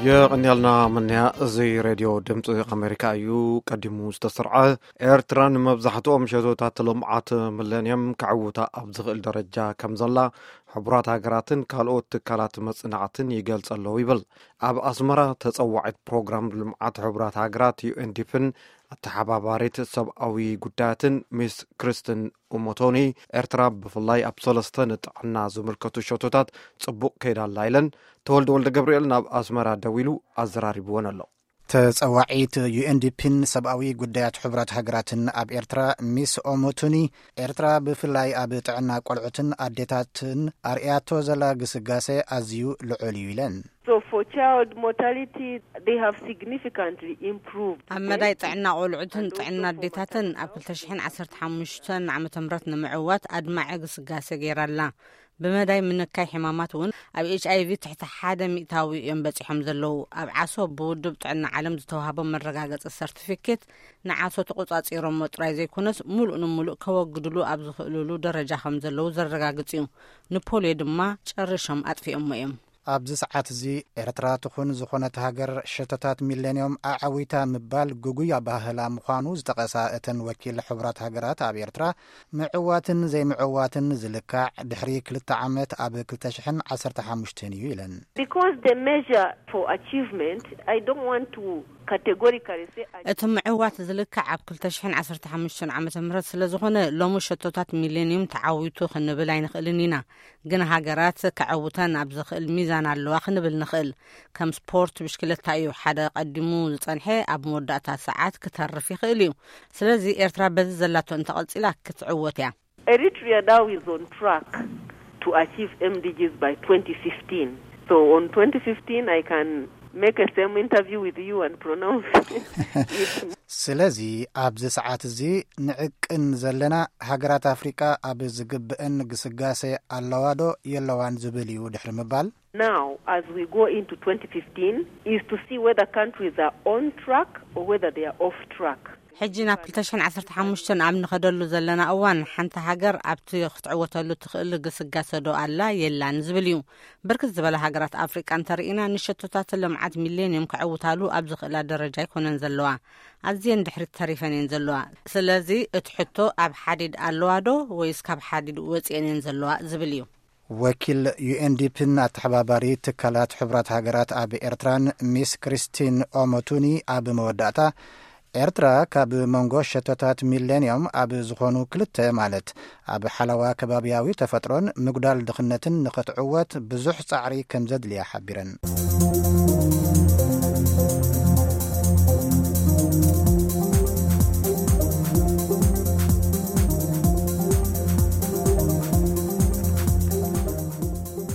የቐንያልና መንያ። እዚ ሬድዮ ድምፂ ኣሜሪካ እዩ። ቀዲሙ ዝተሰርዐ፣ ኤርትራ ንመብዛሕትኦም ሸቶታት ልምዓት ሚለንየም ከዕውታ ኣብ ዝኽእል ደረጃ ከም ዘላ ሕቡራት ሃገራትን ካልኦት ትካላት መጽናዕትን ይገልጸ ኣለዉ ይብል። ኣብ ኣስመራ ተጸዋዒት ፕሮግራም ልምዓት ሕቡራት ሃገራት ዩኤንዲፕን ኣተሓባባሪት ሰብኣዊ ጉዳያትን ሚስ ክርስትን ኡሞቶኒ፣ ኤርትራ ብፍላይ ኣብ ሰለስተ ንጥዕና ዝምልከቱ ሸቶታት ጽቡቕ ከይዳ ኣላ ኢለን። ተወልደ ወልደ ገብርኤል ናብ ኣስመራ ደዊሉ ኣዘራሪብወን ኣሎ። ተጸዋዒት ዩኤንዲፒን ሰብኣዊ ጉዳያት ሕቡራት ሃገራትን ኣብ ኤርትራ ሚስ ኦሞቱኒ፣ ኤርትራ ብፍላይ ኣብ ጥዕና ቆልዑትን ኣዴታትን ኣርእያቶ ዘላ ግስጋሴ ኣዝዩ ልዑል እዩ ኢለን። So for child mortality, they have significantly improved. ኣብ መዳይ ጥዕና ቆልዑትን ጥዕና ኣዴታትን ኣብ ክልተ ሽሕን ዓሰርተ ሓሙሽተን ዓመተ ምህረት ንምዕዋት ኣድማዒ ግስጋሴ ገይራ ኣላ። ብመዳይ ምንካይ ሕማማት እውን ኣብ ኤች ኣይቪ ትሕቲ ሓደ ሚእታዊ እዮም በጺሖም ዘለዉ። ኣብ ዓሶ ብውድብ ጥዕና ዓለም ዝተዋህቦም መረጋገጺ ሰርቲፊኬት ንዓሶ ተቖጻጺሮሞ ጥራይ ዘይኮነስ፣ ሙሉእ ንሙሉእ ከወግድሉ ኣብ ዝኽእልሉ ደረጃ ከም ዘለዉ ዘረጋግጽ እዩ። ንፖልዮ ድማ ጨሪሾም ኣጥፊኦሞ እዮም። ኣብዚ ሰዓት እዚ ኤርትራ ትኹን ዝኾነት ሃገር ሸቶታት ሚሌንዮም ኣዐዊታ ምባል ግጉይ ኣባህላ ምዃኑ ዝጠቐሳ እተን ወኪል ሕቡራት ሃገራት ኣብ ኤርትራ፣ ምዕዋትን ዘይምዕዋትን ዝልካዕ ድሕሪ ክልተ ዓመት ኣብ ክልተ ሽሕን ዓሰርተ ሓሙሽተን እዩ ኢለን። Because the measure for achievement, I don't want to categorically say. እቲ ምዕዋት ዝልካዕ ኣብ ክልተ ሽሕን ዓሰርተ ሓሙሽተን ዓመተ ምህረት ስለ ዝኾነ፣ ሎሚ ሸቶታት ሚሌንዩም ተዓዊቱ ክንብል ኣይንኽእልን ኢና። ግን ሃገራት ከዐውተን ኣብ ዝኽእል ሚዛን ኣለዋ ክንብል ንኽእል። ከም ስፖርት ብሽክለታ እዩ። ሓደ ቀዲሙ ዝጸንሐ ኣብ መወዳእታ ሰዓት ክተርፍ ይኽእል እዩ። ስለዚ ኤርትራ በዚ ዘላቶ እንተቐጺላ ክትዕወት እያ። Eritrea now is on track to achieve M D Gs by twenty fifteen. So on twenty fifteen, I can make a same interview with you and pronounce it. ስለዚ ኣብዚ ሰዓት እዚ ንዕቅን ዘለና፣ ሃገራት ኣፍሪቃ ኣብ ዝግብአን ግስጋሴ ኣለዋዶ የለዋን ዝብል እዩ ድሕሪ ምባል። Now, as we go into twenty fifteen, is to see whether countries are on track or whether they are off track. ሕጂ ናብ ክልተ ሽሕን ዓሰርተ ሓሙሽተን ኣብ ንኸደሉ ዘለና እዋን፣ ሓንቲ ሃገር ኣብቲ ክትዕወተሉ ትኽእል ግስጋሰ ዶ ኣላ የላን ዝብል እዩ። ብርክት ዝበላ ሃገራት ኣፍሪቃ እንተርኢና፣ ንሸቶታት ልምዓት ሚሌንዮም ከዕውታሉ ኣብ ዝኽእላ ደረጃ ኣይኮነን ዘለዋ። ኣዝየን ድሕሪት ተሪፈን እየን ዘለዋ። ስለዚ እቲ ሕቶ፣ ኣብ ሓዲድ ኣለዋ ዶ ወይስ ካብ ሓዲድ ወፂአን እየን ዘለዋ ዝብል እዩ። ወኪል ዩኤንዲፒን ኣተሓባባሪ ትካላት ሕቡራት ሃገራት ኣብ ኤርትራን ሚስ ክሪስቲን ኦሞቱኒ ኣብ መወዳእታ፣ ኤርትራ ካብ መንጎ ሸቶታት ሚሌንዮም ኣብ ዝኾኑ ክልተ፣ ማለት ኣብ ሓለዋ ከባብያዊ ተፈጥሮን ምጉዳል ድኽነትን ንኽትዕወት ብዙሕ ጻዕሪ ከም ዘድልያ ሓቢረን።